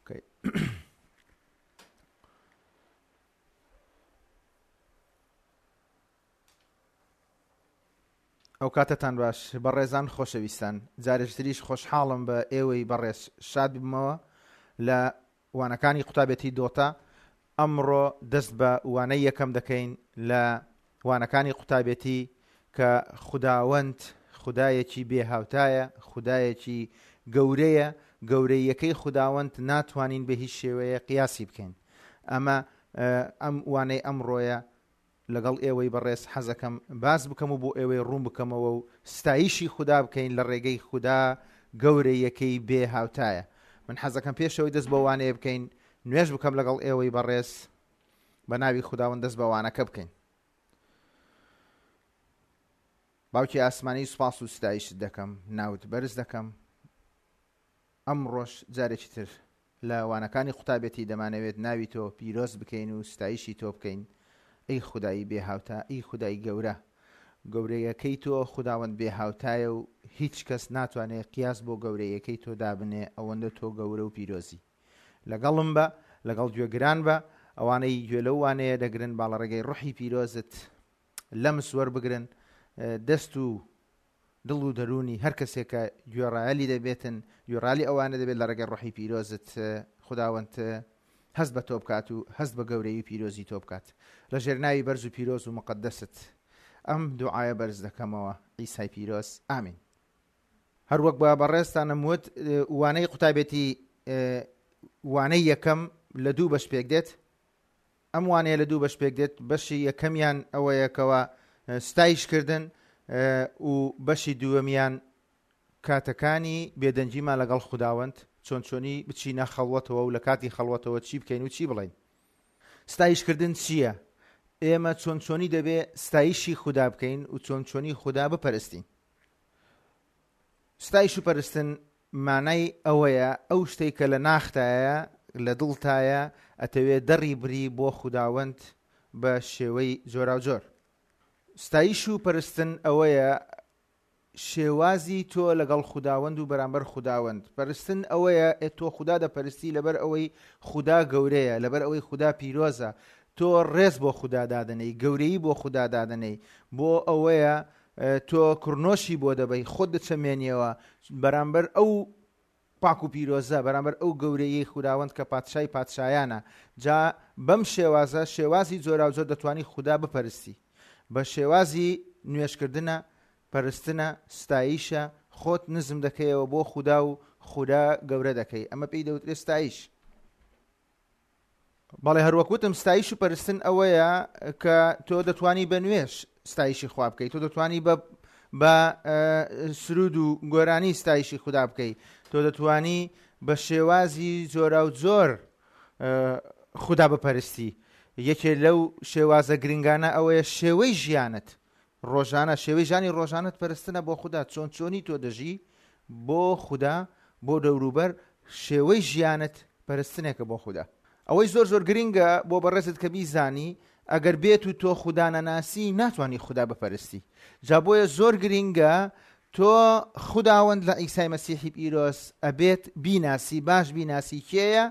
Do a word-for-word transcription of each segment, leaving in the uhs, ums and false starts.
Okay. ئەو کاتەتان باش بەڕێزان خۆشەویستان، جارێکتریش خۆشحاڵم بە ئێوەی بەڕێز شاد ببمەوە لە وانەکانی قوتابێتی دۆتا. ئەمڕۆ دەست بە وانەی یەکەم دەکەین لە وانەکانی قوتابێتی کە خوداوەند خودایەکی بێهاوتایە، خودایەکی گەورەیە، گەورەیەکەی خوداوەند ناتوانین بە هیچ شێوەیە قیاسی بکەین. ئەمە ئەم وانەی ئەمڕۆیە لەگەڵ ئێوەی بەڕێز حەزەکەم باز بکەم و بۆ ئێوەی ڕوون بکەمەوە و ستایشی خودا بکەین لە ڕێگەی خودا گەورەیەکەی بێ هاوتایە. من حەزەکەم پێشەوەی دەست بە وانەیە بکەین نوێژ بکەم لەگەڵ ئێوەی بەڕێز بە ناوی خوداوەند دەست بە وانەکە بکەین. باوکی ئاسمانی سوپاس و ستایشت دەکەم، ناوت بەرز دەکەم. ئەمڕۆش جارێکی تر لە وانەکانی قوتابێتی دەمانەوێت ناوی تۆ پیرۆز بکەین و ستایشی تۆ بکەین. ئەی خودایی بێهاوتا، ئەی خودای گەورە، گەورەیەکەی تۆ خوداوەند بێهاوتایە و هیچ کەس ناتوانێت قیاس بۆ گەورەیەکەی تۆ دابنێ، ئەوەندە تۆ گەورە و پیرۆزی. لەگەڵم بە، لەگەڵ گوێگران بە، ئەوانەی گوێ لەو وانەیە دەگرن با لە ڕێگەی ڕۆحی پیرۆزت لەمس وەربگرن، دەست و دڵ و دەروونی هەر کەسێکە گوێڕایەلی دەبێتن، گوێڕالی ئەوانە دەبێت لە ڕێگەی ڕۆحی پیرۆزت خوداوەند هەست بە تۆ بکات و هەست بە گەورەی پیرۆزی تۆ بکات. لە ژێر ناوی بەرز و پیرۆز و مقەدەست ئەم دوعایە بەرز دەکەمەوە، عیسای پیرۆز، ئامین. هەروەک بە بەڕێزتانم وت، وانەی قوتابێتی وانەی یەکەم لە دوو بەش پێک دێت. ئەم وانەیە لە دوو بەش پێک دێت. بەشی یەکەمیان ئەوەیەکەوە ستایشکردن و بەشی دووەمیان کاتەکانی بێدەنگیمان لەگەڵ خوداوەند، چۆن چۆنی بچینە خەڵوەتەوە و لە کاتی خەڵوەتەوە چی بکەین و چی بڵێین. ستایشکردن چییە؟ ئێمە چۆن چۆنی دەبێ ستایشی خودا بکەین و چۆن چۆنی خودا بپەرستین. ستایش و پەرستن مانای ئەوەیە ئەو شتێک کە لە ناختایە، لە دڵتایە، ئەتەوێ دەڕی بری بۆ خوداوەند بە شێوەی جۆراوجۆر. ستایش و پەرستن ئەوەیە شێوازی تۆ لەگەڵ خوداوەند و بەرامبەر خوداوەند. پەرستن ئەوەیە تۆ خودا دەپەرستی لەبەر ئەوەی خودا گەورەیە، لەبەر ئەوەی خودا پیرۆزە، تۆ ڕێز بۆ خودا دادەنەی، گەورەیی بۆ خودا دادەنەی، بۆ ئەوەیە تۆ کڕنۆشی بۆ دەبەی، خۆت دەچەمێنیەوە بەرامبەر ئەو پاک و پیرۆزە، بەرامبەر ئەو گەورەیەی خوداوەند کە پادشای پادشایانە. جا بەم شێوازە، شێوازی جۆراوجۆر دەتوانی خودا بپەرستی. بە شێوازی نوێژکردنە، پەرستنە، ستایشە، خۆت نزم دەکەیەوە بۆ خودا و خودا گەورە دەکەی. ئەمە پێی دەوترێت ستایش. بەڵێ هەروەک وتم ستایش و پەرستن ئەوەیە کە تۆ دەتوانی بە نوێژ ستایشی خوا بکەیت، تۆ دەتوانی بە بە سرود و گۆرانی ستایشی خودا بکەیت، تۆ دەتوانی بە شێوازی جۆراوجۆر خودا بپەرستی. یەکێ لەو شێوازە گرنگانە ئەوەیە شێوەی ژیانت ڕۆژانە، شێوەی ژیانی ڕۆژانت پەرستنە بۆ خودا. چۆن چۆنی تۆ دەژی بۆ خودا، بۆ دەوروبەر، شێوەی ژیانت پەرستنێکە بۆ خودا. ئەوەی زۆر زۆر گرنگە بۆ بەڕێزت کە بیزانی ئەگەر بێت و تۆ خودا نەناسی ناتوانی خودا بپەرستی. جا بۆیە زۆر گرنگە تۆ خوداوەند لە عیسای مەسیحی پیرۆز ئەبێت بیناسی، باش بیناسی کێیە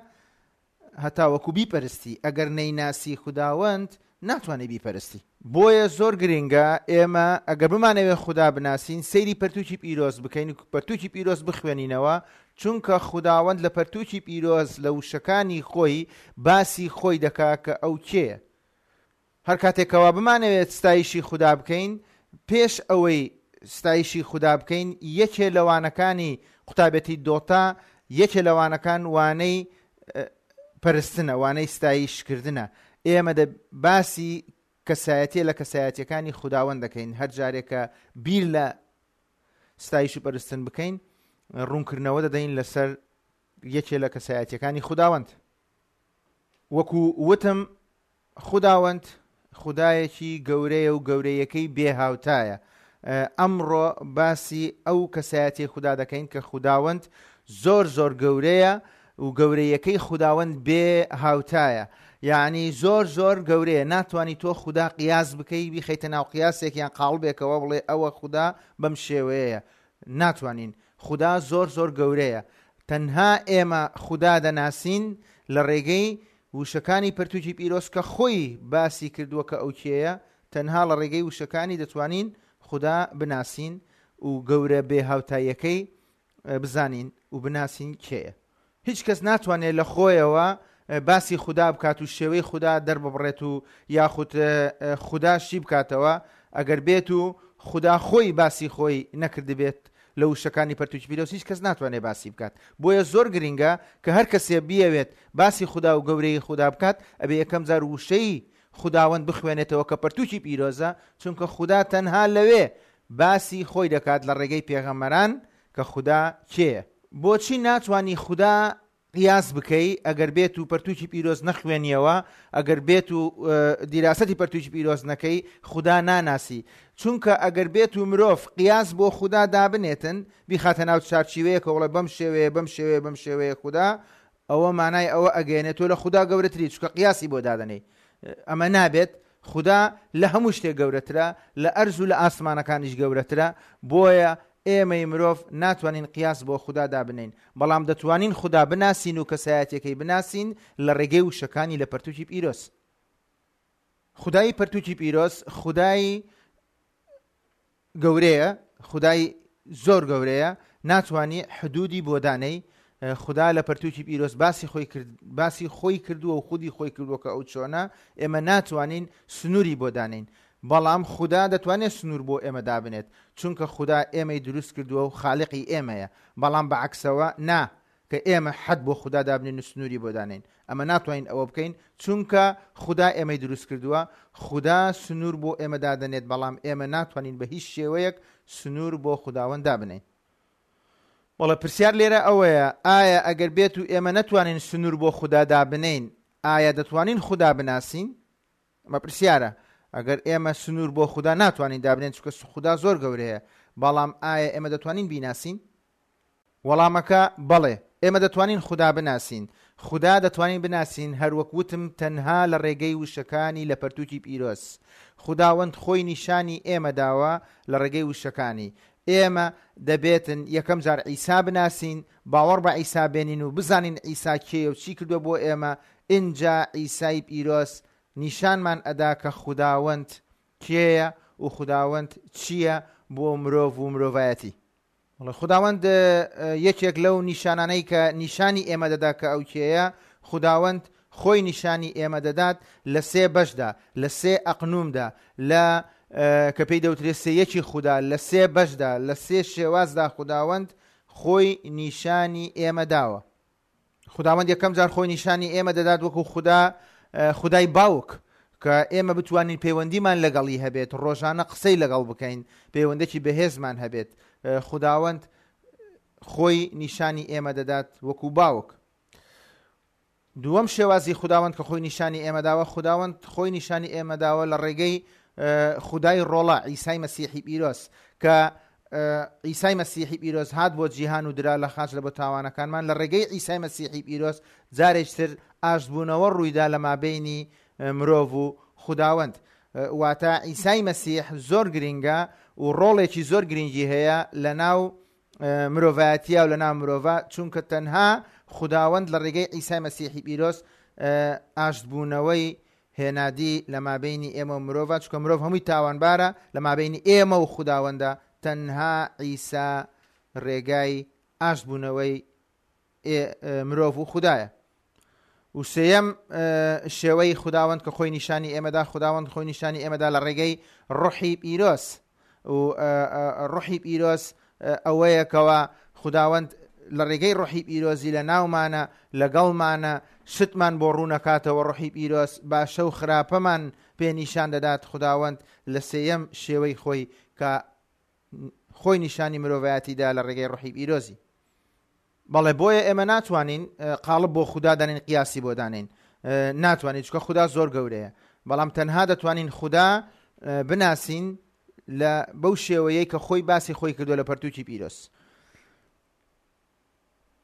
هەتا وەکو بیپەرستی. ئەگەر نەیناسی خوداوەند ناتوانێت بیپەرستی. بۆیە زۆر گرنگە ئێمە ئەگەر بمانەوێت خودا بناسین سەیری پەرتوکی پیرۆز بکەین و پەرتوکی پیرۆز بخوێنینەوە، چونکە خوداوەند لە پەرتوکی پیرۆز لە وشەکانی خۆی باسی خۆی دەکا کە ئەو کێیە. هەر کاتێکەوە بمانەوێت ستایشی خودا بکەین، پێش ئەوەی ستایشی خودا بکەین یەکێ لەوانەکانی قوتابێتی دۆتا، یەکێ لەوانەکان وانەی پەرستنە، وانەی ستایشکردنە. ئێمە دە باسی کەسایەتیە لە کەسایەتیەکانی خوداوەند دەکەین. هەر جارێکە بیر لە ستایش و پەرستن بکەین ڕوونکردنەوە دەدەین لەسەر یەکێ لە کەسایەتیەکانی خوداوەند. وەکو وتم خوداوەند خودایەکی گەورەیە و گەورەیەکەی بێهاوتایە. ئەمڕۆ باسی ئەو کەسایەتی خودا دەکەین کە خوداوەند زۆر زۆر گەورەیە و گەورەیەکەی خوداوەند بێ هاوتایە. یعنی زۆر زۆر گەورەیە، ناتوانی تۆ خودا قیاس بکەی، بیخەیتە ناو قیاسێک یان قاڵبێکەوە بڵێ ئەوە خودا بەم شێوەیە. ناتوانین. خودا زۆر زۆر گەورەیە. تەنها ئێمە خودا دەناسین لە ڕێگەی وشەکانی پەرتوکی پیرۆز کە خۆی باسی کردووە کە ئەو کێیە. تەنها لە ڕێگەی وشەکانی دەتوانین خودا بناسین و گەورە بێهاوتاییەکەی بزانین و بناسین کێیە. هیچ کەس ناتوانێت لە خۆیەوە باسی خودا بکات و شێوەی خودا دەرببڕێت و یاخود خودا شی بکاتەوە ئەگەر بێت و خودا خۆی باسی خۆی نەکردبێت لە وشەکانی پەرتوکی پیرۆز، هیچ کەس ناتوانێت باسی بکات. بۆیە زۆر گرنگە کە هەر کەسێ بیەوێت باسی خودا و گەورەی خودا بکات، ئەبێ یەکەم جار وشەی خوداوەند بخوێنێتەوە کە پەرتوکی پیرۆزە، چونکە خودا تەنها لەوێ باسی خۆی دەکات لە ڕێگەی پێغەمبەران کە خودا کێیە. بۆچی ناتوانی خودا قیاس بکەی ئەگەر بێت و پەرتوکی پیرۆز نەخوێنیەوە، ئەگەر بێت و دیراسەتی پەرتوکی پیرۆز نەکەی خودا ناناسی؟ چونکە ئەگەر بێت و مرۆڤ قیاس بۆ خودا دابنێتن، بیخاتە ناو چارچیوەیەکە وڵێ بەم شێوەیە بەم شێوەیە بەم شێوەیە خودا، ئەوە مانای ئەوە ئەگەیەنێت تۆ لە خودا گەورەتری، چونکە قیاسی بۆ دادەنێی. ئەمە نابێت. خودا لە هەموو شتێک گەورەترە، لە ئەرز و لە ئاسمانەکانیش گەورەترە. بۆیە ئێمەی مرۆڤ ناتوانین قیاس بۆ خودا دابنین، بەڵام دەتوانین خودا بناسین و کەسایەتیەکەی بناسین لە ڕێگەی وشەکانی لە پەرتوکی پیرۆز. خودای پەرتوکی پیرۆز خودای گەورەیە، خودای زۆر گەورەیە، ناتوانی حدودی بۆ دانەی. خودا لە پەرتوکی پیرۆز باسی خۆی کرد، باسی خۆی کردووە و خودی خۆی کردووە کە ئەو چۆنە، ئێمە ناتوانین سنووری بۆ دانین، بەڵام خودا دەتوانێت سنوور بۆ ئێمە دابنێت، چونکە خودا ئێمەی دروست کردووە و خالقی ئێمەیە. بەڵام بەعکسەوە نا کە ئێمە حەد بۆ خودا دابنین و سنووری بۆ دانین، ئەمە ناتوانین ئەوە بکەین، چونکە خودا ئێمەی دروست کردووە. خودا سنوور بۆ ئێمە دادەنێت، بەڵام ئێمە ناتوانین بە هیچ شێوەیەک سنوور بۆ خوداوەند دابنین. بەڵێ پرسیار لێرە ئەوەیە، ئایا ئەگەر بێت و ئێمە نەتوانین سنوور بۆ خودا دابنین، ئایا دەتوانین خودا بناسین؟ ئەمە پرسیارە. ئەگەر ئێمە سنوور بۆ خودا ناتوانین دابنین، چونکە خودا زۆر گەورەیە، بەڵام ئایا ئێمە دەتوانین بیناسین؟ وەڵامەکە بەڵێ، ئێمە دەتوانین خودا بناسین. خودا دەتوانین بناسین هەروەک وتم تەنها لە ڕێگەی وشەکانی لە پەرتوکی پیرۆز. خوداوەند خۆی نیشانی ئێمە داوە لە ڕێگەی وشەکانی. ئێمە دەبێتن یەکەم جار عیسا بناسین، باوەڕ بە عیسا بێنین و بزانین عیسا کێیە و چی کردووە بۆ ئێمە. ئینجا عیسای پیرۆز نیشانمان ئەدا کە خوداوەند کێیە و خوداوەند چییە بۆ مرۆڤ و مرۆڤایەتی. خوداوەند یەکێک لەو نیشانانەی کە نیشانی ئێمە دەدا کە ئەو کێیە، خوداوەند خۆی نیشانی ئێمە دەدات لە سێ بەشدا، لە سێ ئەقنومدا، لە کە پێی دەوترێت سێ یەکی خودا، لە سێ بەشدا، لە سێ شێوازدا خوداوەند خۆی نیشانی ئێمە داوە. خوداوەند یەکەم جار خۆی نیشانی ئێمە دەدات وەکو خودا، خودای باوک، کە ئێمە بتوانین پەیوەندیمان لەگەڵی هەبێت، ڕۆژانە قسەی لەگەڵ بکەین، پەیوەندێکی بەهێزمان هەبێت. خوداوەند خۆی نیشانی ئێمە دەدات وەکو باوک. دووەم شێوازی خوداوەند کە خۆی نیشانی ئێمە داوە، خوداوەند خۆی نیشانی ئێمە داوە لە ڕێگەی خودای ڕۆڵە عیسای مەسیحی پیرۆز، کە عیسای مەسیحی پیرۆز هات بۆ جیهان و درا لە خاچ لە بۆ تاوانەکانمان. لە ڕێگەی عیسای مەسیحی پیرۆز جارێکتر ئاشتبوونەوە ڕوویدا لە مابەینی مرۆڤ و خوداوەند. واتە عیسای مەسیح زۆر گرنگە و ڕۆڵێکی زۆر گرنگی هەیە لە ناو مرۆڤایەتیە و لە ناو مرۆڤە، چونکە تەنها خوداوەند لە ڕێگەی عیسای مەسیحی پیرۆز ئاشتبوونەوەی هێنادی لە مابەینی ئێمە و مرۆڤە، چونکە مرۆڤ هەمووی تاوانبارە لە مابەینی ئێمە و خوداوەندە. تەنها عیسا ڕێگای ئاشتبوونەوەی مرۆڤ و خودایە. و سێیەم شێوەی خوداوەند کە خۆی نیشانی ئێمەدا، خوداوەند خۆی نیشانی ئێمەدا لە ڕێگەی ڕۆحی پیرۆز. و ڕۆحی پیرۆز ئەوەیەکەوە خوداوەند لە ڕێگەی ڕۆحی پیرۆزی لە ناومانە، لەگەڵمانە، شتمان بۆ ڕوونەکاتەوە. ڕۆحی پیرۆز باشە و خراپەمان پێ نیشان دەدات. خوداوەند لە سێیەم شێوەی خۆی کە خۆی نیشانی مرۆڤایەتیدا لە ڕێگەی ڕۆحی پیرۆزی. بەڵێ بۆیە ئێمە ناتوانین قاڵب بۆ خودا دانین، قیاسی بۆ دانین، ناتوانین، چونکە خودا زۆر گەورەیە. بەڵام تەنها دەتوانین خودا بناسین لە بەو شێوەیەی کە خۆی باسی خۆی کردووە لە پەرتوکی پیرۆز.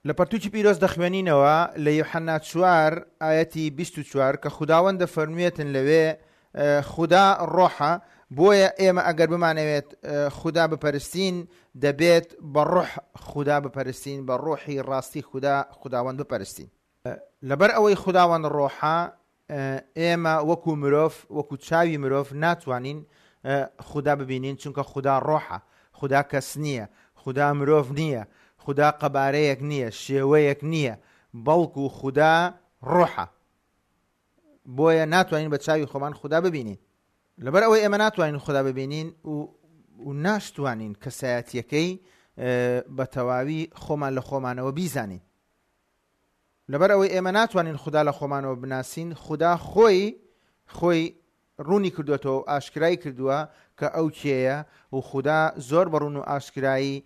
لە پەرتوکی پیرۆز دەخوێنینەوە لە یوحەنا چوار ئایەتی بیست و چوار کە خوداوەند دەفەرموێتن لەوێ خودا ڕۆحە بۆیە ئێمە ئەگەر بمانەوێت خودا بپەرستین دەبێت بە ڕۆح خودا بپەرستین، بە ڕۆحی ڕاستی خودا خوداوەند بپەرستین. لەبەر ئەوەی خوداوەند ڕۆحە، ئێمە وەکو مرۆڤ، وەکو چاوی مرۆڤ ناتوانین خودا ببینین، چونکە خودا ڕۆحە، خودا کەس نییە، خودا مرۆڤ نییە، خودا قەبارەیەک نییە، شێوەیەک نییە، بەڵکو خودا ڕۆحە. بۆیە ناتوانین بە چاوی خۆمان خودا ببینین. لەبەر ئەوەی ئێمە ناتوانین خودا ببینین و ناشتوانین کەسایەتیەکەی بە تەواوی خۆمان لە خۆمانەوە بیزانین. لەبەر ئەوەی ئێمە ناتوانین خودا لە خۆمانەوە بناسین، خودا خۆی خۆی ڕوونی کردوێتەوە و ئاشکرای کردووە کە ئەو کێیە و خودا زۆر بە ڕوون و ئاشکرایی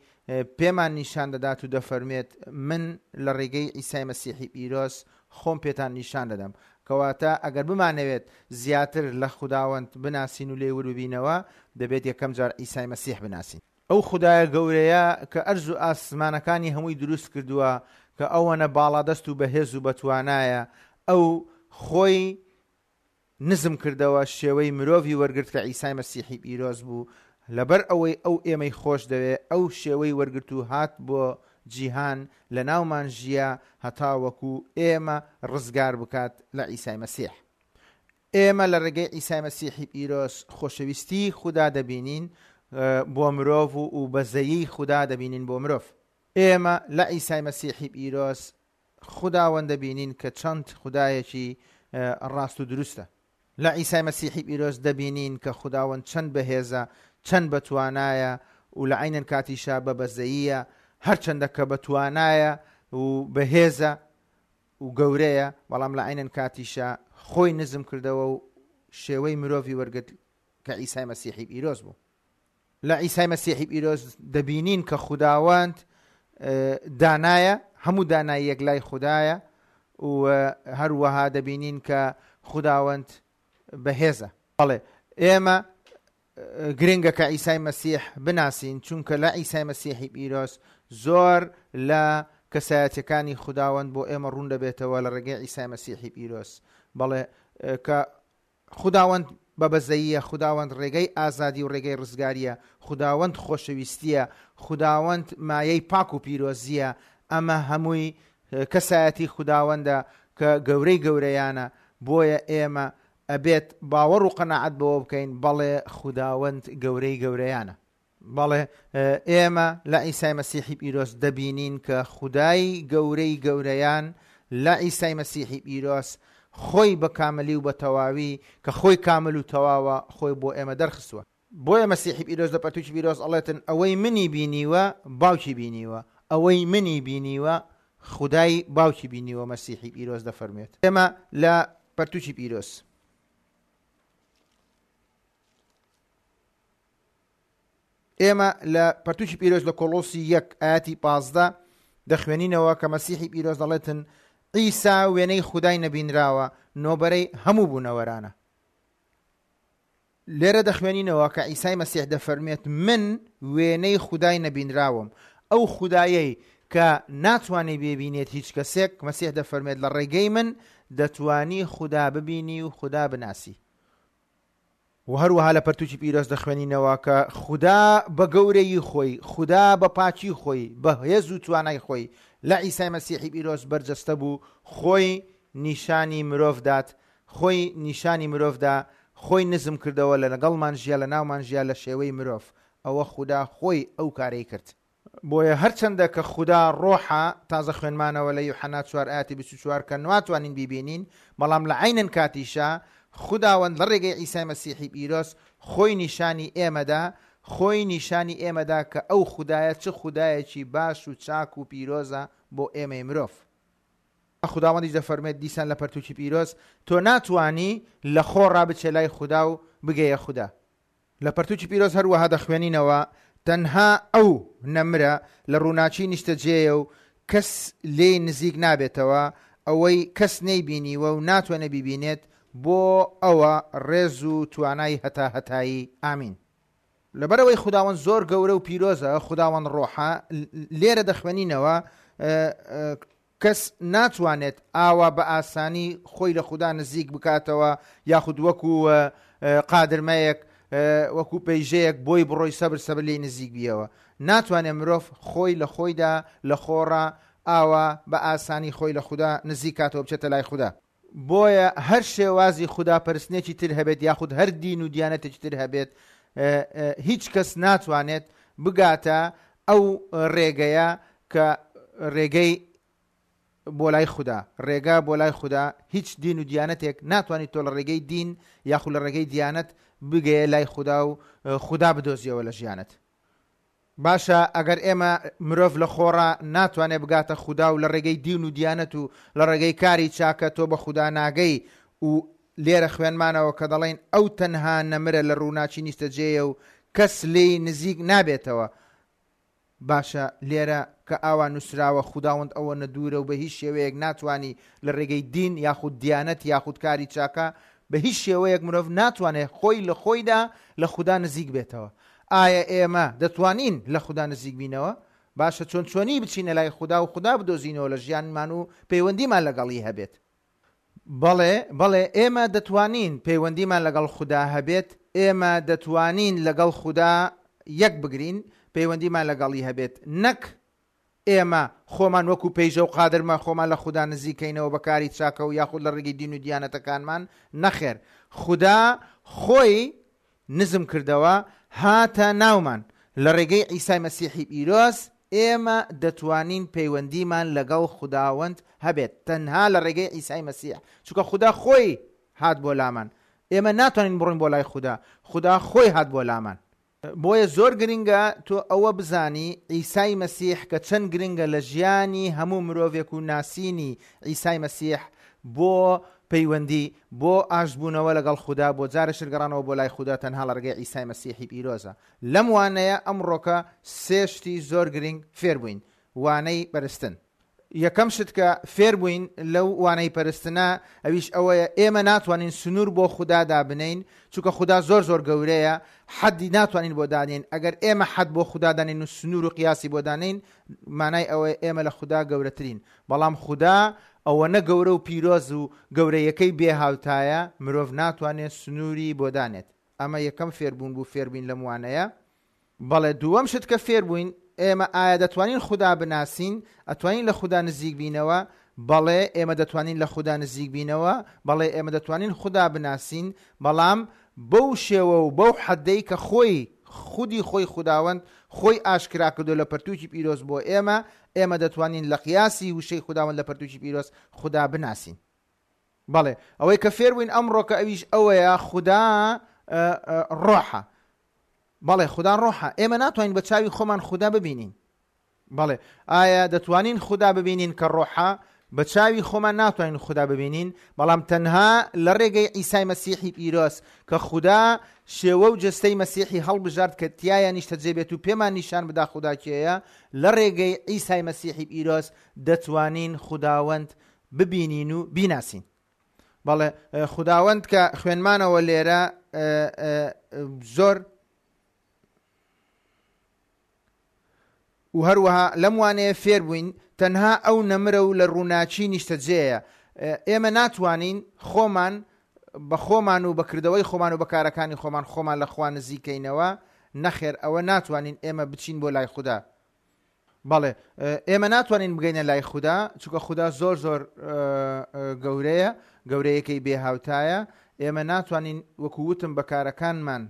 پێمان نیشان دەدات و دەفەرمێت من لە ڕێگەی عیسای مەسیحی پیرۆز خۆم پێتان نیشان دەدەم. کەواتە ئەگەر بمانەوێت زیاتر لە خوداوەند بناسین و لێی ورد ببینەوە، دەبێت یەکەم جار عیسای مەسیح بناسین. ئەو خودایە گەورەیە کە ئەرز و ئاسمانەکانی هەمووی دروست کردووە، کە ئەوەنە باڵادەست و بەهێز و بەتوانایە، ئەو خۆی نزم کردەوە، شێوەی مرۆڤی وەرگرت کە عیسای مەسیحی پیرۆز بوو. لەبەر ئەوەی ئەو ئێمەی خۆش دەوێ، ئەو شێوەی وەرگرت و هات بۆ جیهان، لە ناومان ژیە هەتاوەکو ئێمە ڕزگار بکات لە عیسای مەسیح. ئێمە لە ڕێگەی عیسای مەسیحی پیرۆز خۆشەویستی خودا دەبینین بۆ مرۆڤ و بەزەیی خودا دەبینین بۆ مرۆڤ. ئێمە لە عیسای مەسیحی پیرۆز خوداوەند دەبینین کە چەند خودایەکی ڕاست و دروستە. لە عیسای مەسیحی پیرۆز دەبینین کە خوداوەند چەند بەهێزە، چەند بەتوانایە و لە عینەن کاتیشا بە بەزەییە، هەرچەندە کە بەتوانایە و بەهێزە و گەورەیە، بەڵام لە عینەن کاتیشا خۆی نزم کردەوە و شێوەی مرۆڤی وەرگرت کە عیسای مەسیحی پیرۆز بوو. لە عیسای مەسیحی پیرۆز دەبینین کە خوداوەند دانایە، هەموو داناییەک لای خودایە و هەروەها دەبینین کە خوداوەند بەهێزە. بەڵێ ئێمە گرنگە کە عیسای مەسیح بناسین، چونکە لە عیسای مەسیحی پیرۆز زۆر لە کەسایەتەکانی خوداوەند بۆ ئێمە ڕوون دەبێتەوە لە ڕێگەی عیسای مەسیحی پیرۆز. بەڵێ کە خوداوەند بە بەزەییە، خوداوەند ڕێگەی ئازادی و ڕێگەی ڕزگاریە، خوداوەند خۆشەویستیە، خوداوەند مایەی پاک و پیرۆزیە. ئەمە هەمووی کەسایەتی خوداوەندە کە گەورەی گەورەیانە. بۆیە ئێمە ئەبێت باوەڕ و قەناعەت بەوە بکەین بەڵێ خوداوەند گەورەی گەورەیانە. بەڵێ ئێمە لە عیسای مەسیحی پیرۆز دەبینین کە خودای گەورەی گەورەیان لە عیسای مەسیحی پیرۆز خۆی بە کاملی و بە تەواوی کە خۆی کامل و تەواوە خۆی بۆ ئێمە دەرخستووە. بۆیە مەسیحی پیرۆز لە پەرتووکی پیرۆز ئەڵێتن ئەوەی منی بینیوە باوکی بینیوە، ئەوەی منی بینیوە خودای باوکی بینیوە. مەسیحی پیرۆز دەفەرمێت. ئێمە لە پەرتووکی پیرۆز ئێمە لە پەرتووکی پیرۆز لە کۆلۆسی یەک ئاەتی پازدە دەخوێنینەوە کە مەسیحی پیرۆز دەڵێتن عیسا وێنەی خودای نەبینراوە، نۆبەرەی هەموو بوونەوەرانە. لێرە دەخوێنینەوە کە عیسای مەسیح دەفەرمێت من وێنەی خودای نەبینراوم، ئەو خودایەی کە ناتوانێت ببینێت هیچ کەسێک، مەسیح دەفەرمێت لە ڕێگەی من دەتوانی خودا ببینی و خودا بناسی. و هەروەها لە پەرتووکی پیرۆز دەخوێنینەوە کە خودا بە گەورەیی خۆی، خودا بە پاکی خۆی، بە هێز و توانای خۆی لە عیسای مەسیحی پیرۆز بەرجەستە بوو، خۆی نیشانی مرۆڤ دات، خۆی نیشانی مرۆڤدا، خۆی نزم کردەوە، لە لەگەڵمان ژیا، لە ناومان ژیا لە شێوەی مرۆڤ. ئەوە خودا خۆی ئەو کارەی کرد. بۆیە هەرچەندە کە خودا ڕۆحە، تازە خوێنمانەوە لە یوحەنا چوار ئاەتی بیست و چوار کە ناتوانین بیبینین، بەڵام لە عینەن کاتیشا خوداوەند لە ڕێگەی عیسای مەسیحی پیرۆز خۆی نیشانی ئێمەدا، خۆی نیشانی ئێمەدا کە ئەو خودایە چ خودایەکی باش و چاک و پیرۆزە بۆ ئێمەی مرۆڤ. خوداوەندیش دەفەرمێت دیسان لە پەرتووکی پیرۆز تۆ ناتوانی لە خۆ ڕابچێ لای خودا و بگەیە خودا. لە پەرتووکی پیرۆز هەروەها دەخوێنینەوە تەنها ئەو نەمرە لە ڕووناکی نیشتەجێیە و کەس لێی نزیک نابێتەوە، ئەوەی کەس نەیبینیوە و ناتوانێت بیبینێت، بۆ ئەوە ڕێز و توانای هەتا هەتایی. ئامین. لەبەرەوەی خوداوەند زۆر گەورە و پیرۆزە، خوداوەند ڕۆحە، لێرە دەخوێنینەوە کەس ناتوانێت ئاوا بە ئاسانی خۆی لە خودا نزیک بکاتەوە، یاخود وەکو قادرمەیەک وەکو پەیژەیەک بۆی بڕۆی سەبر سەبر لێی نزیک بیەوە. ناتوانێت مرۆڤ خۆی لە خۆیدا لە خۆڕا ئاوا بە ئاسانی خۆی لە خودا نزیک کاتەوە بچێتە لای خودا. بۆیە هەر شێوازی خودا پەرستنێکی تر هەبێت یاخود هەر دین و دیانەتێکی تر هەبێت، هیچ کەس ناتوانێت بگاتە ئەو ڕێگەیە کە ڕێگەی بۆ لای خودا، ڕێگا بۆ لای خودا. هیچ دین و دیانەتێک ناتوانێت تۆ لە ڕێگەی دین یاخود لە ڕێگەی دیانەت بگەیە لای خودا و خودا بدۆزیەوە لە ژیانت. باشە ئەگەر ئێمە مرۆڤ لە خۆڕا ناتوانێت بگاتە خودا و لە ڕێگەی دین و دیانەت و لە ڕێگەی کاری چاکە تۆ بە خودا ناگەی و لێرە خوێنمانەوە کە دەڵێن ئەو تەنها نەمرە لە ڕووناکی نیشتەجێیە و کەس لێی نزیک نابێتەوە. باشە لێرە کە ئاوا نووسراوە خوداوەند ئەوە نەدوورە و بە هیچ شێوەیەک ناتوانانی لە ڕێگەی دین یاخود دیانەت یاخود کاری چاکە بە هیچ شێوەیەک مرۆڤ ناتوانێت خۆی لە خۆیدا لە خودا نزیک بێتەوە. ئایا ئێمە دەتوانین لە خودا نزیک بینەوە؟ باشە چۆن چۆنی بچینە لای خودا و خودا بدۆزینەوە لە ژیانمان و پەیوەندیمان لەگەڵی هەبێت؟ بەڵێ بەڵێ ئێمە دەتوانین پەیوەندیمان لەگەڵ خودا هەبێت، ئێمە دەتوانین لەگەڵ خودا یەک بگرین، پەیوەندیمان لەگەڵی هەبێت، نەک ئێمە خۆمان وەکو پەیژە و قادرمان خۆمان لە خودا نزیکەینەوە بە کاری چاکە و یاخود لە ڕێگەی دین و دیانەتەکانمان. نەخێر، خودا خۆی نزم کردەوە هاتە ناومان لە ڕێگەی عیسای مەسیحی پیرۆز. ئێمە دەتوانین پەیوەندیمان لەگەڵ خوداوەند هەبێت تەنها لە ڕێگەی عیسای مەسیح، چونکە خودا خۆی هات بۆ لامان. ئێمە ناتوانین بڕۆین بۆ لای خودا، خودا خۆی هات بۆ لامان. بۆیە زۆر گرنگە تۆ ئەوە بزانی عیسای مەسیح کە چەند گرنگە لە ژیانی هەموو مرۆڤێک و ناسینی عیسای مەسیح بۆ پەیوەندی، بۆ ئاشتبوونەوە لەگەڵ خودا، بۆ جارێ گەڕانەوە بۆ لای خودا تەنها لە ڕێگەی عیسای مەسیحی پیرۆزە. لەم وانەیە ئەمڕۆکە سێ شتی زۆر گرنگ فێر بووین. وانەی پەرستن. یەکەم شت کە فێر بووین لەو وانەی پەرستنە ئەویش ئەوەیە ئێمە ناتوانین سنوور بۆ خودا دابنین، چونکە خودا زۆر زۆر گەورەیە، حەدی ناتوانین بۆ دانین. ئەگەر ئێمە حەد بۆ خودا دانین و سنوور و قیاسی بۆ دانین، مانای ئەوەیە ئێمە لە خودا گەورەترین. بەڵام خودا ئەوە نە گەورە و پیرۆز و گەورەیەکەی بێهاوتایە، مرۆڤ ناتوانێت سنووری بۆ دانێت. ئەمە یەکەم فێربوون بوو فێربووین لەم وانەیە. بەڵێ دووەم شت کە فێربووین، ئێمە ئایا دەتوانین خودا بناسین؟ ئەتوانین لە خودا نزیک بینەوە؟ بەڵێ ئێمە دەتوانین لە خودا نزیک بینەوە، بەڵێ ئێمە دەتوانین خودا بناسین، بەڵام بەو شێوە و بەو حەدەی کە خۆی خودی خۆی خوداوەند خۆی ئاشکرا کردو لە پەرتووکی پیرۆز بۆ ئێمە، ئێمە دەتوانین لە قیاسی وشەی خوداوەند لە پەرتووکی پیرۆز خودا بناسین. بەڵێ ئەوەی کە فێربووین ئەمڕۆ کە ئەویش ئەوەیە خودا ڕۆحە. بەڵێ خودا ڕۆحە، ئێمە ناتوانین بە چاوی خۆمان خودا ببینین. بەڵێ ئایا دەتوانین خودا ببینین کە ڕۆحە؟ بە چاوی خۆمان ناتوانین خودا ببینین، بەڵام تەنها لە ڕێگەی عیسای مەسیحی پیرۆز کە خودا شێوە و جەستەی مەسیحی هەڵبژارد کە تیایا نیشتەجێ بێت و پێمان نیشان بدا خودا کێیە، لە ڕێگەی عیسای مەسیحی پیرۆز دەتوانین خوداوەند ببینین و بیناسین. بەڵێ خوداوەند کە خوێنمانەوە لێرە زۆر و هەروەها لەم وانەیە فێر بووین تەنها ئەو نەمرە و لە ڕووناکی نیشتەجێیە. ئێمە ناتوانین خۆمان بە خۆمان و بەکردەوەی خۆمان و بەکارەکانی خۆمان خۆمان لە خوا نزیکەینەوە. نەخێر ئەوە ناتوانین ئێمە بچین بۆ لای خودا. بەڵێ ئێمە ناتوانین بگەینە لای خودا، چونکە خودا زۆر زۆر گەورەیە، گەورەیەکەی بێهاوتایە. ئێمە ناتوانین وەکو وتم بەکارەکانمان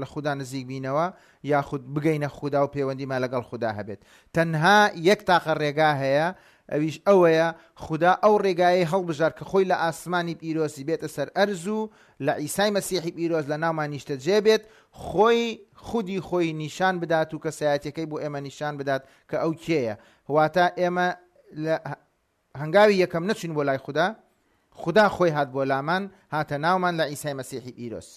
لە خودا نزیک بینەوە یاخود بگەینە خودا و پەیوەندیمان لەگەڵ خودا هەبێت. تەنها یەک تاقە ڕێگا هەیە، ئەویش ئەوەیە خودا ئەو ڕێگایەی هەڵبژار کە خۆی لە ئاسمانی پیرۆزی بێتە سەر ئەرز و لە عیسای مەسیحی پیرۆز لە ناومان نیشتەجێ بێت، خۆی خودی خۆی نیشان بدات و کەسایەتیەکەی بۆ ئێمە نیشان بدات کە ئەو کێیە. واتە ئێمە لە هەنگاوی یەکەم نەچوین بۆ لای خودا، خودا خۆی هات بۆ لامان، هاتە ناومان لە عیسای مەسیحی پیرۆز.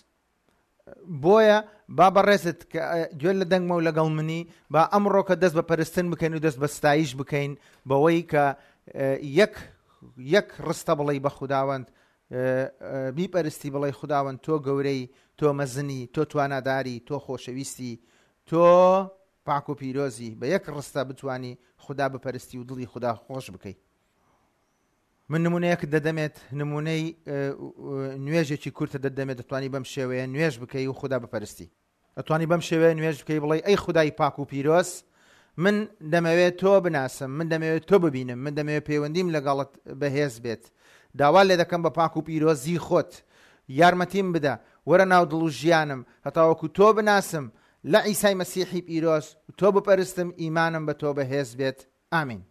بۆیە با بەڕێزت کە گوێ لە دەنگمە و لەگەڵ منی، با ئەمڕۆ کە دەست بە پەرستن بکەین و دەست بە ستایش بکەین، بەوەی کە یەک یەک ڕستە بڵێ بە خوداوەند، بیپەرستی، بڵێ خوداوەند تۆ گەورەی، تۆ مەزنی، تۆ تواناداری، تۆ خۆشەویستی، تۆ پاک و پیرۆزی. بە یەک ڕستە بتانی خدا بپەرستی و دڵی خدا خۆش بکەی. من نمونەیەکت دەدەمێت، نمونەی نوێژێکی کورتە دەدەمێت، دەتوانی بەم شێوەیە نوێژ بکەی و خودا بپەرستی. دەتوانی بەم شێوەیە نوێژ بکەی بڵێ ئەی خودای پاک و پیرۆز، من دەمەوێت تۆ بناسم، من دەمەوێت تۆ ببینم، من دەمەوێت پەیوەندیم لەگەڵت بەهێز بێت. داوا لێ دەکەم بە پاک و پیرۆزی خۆت یارمەتیم بدە، وەرە ناو دڵ و ژیانم هەتاوەکو تۆ بناسم، لە عیسای مەسیحی پیرۆز تۆ بپەرستم، ئیمانم بە تۆ بەهێز بێت. ئامین.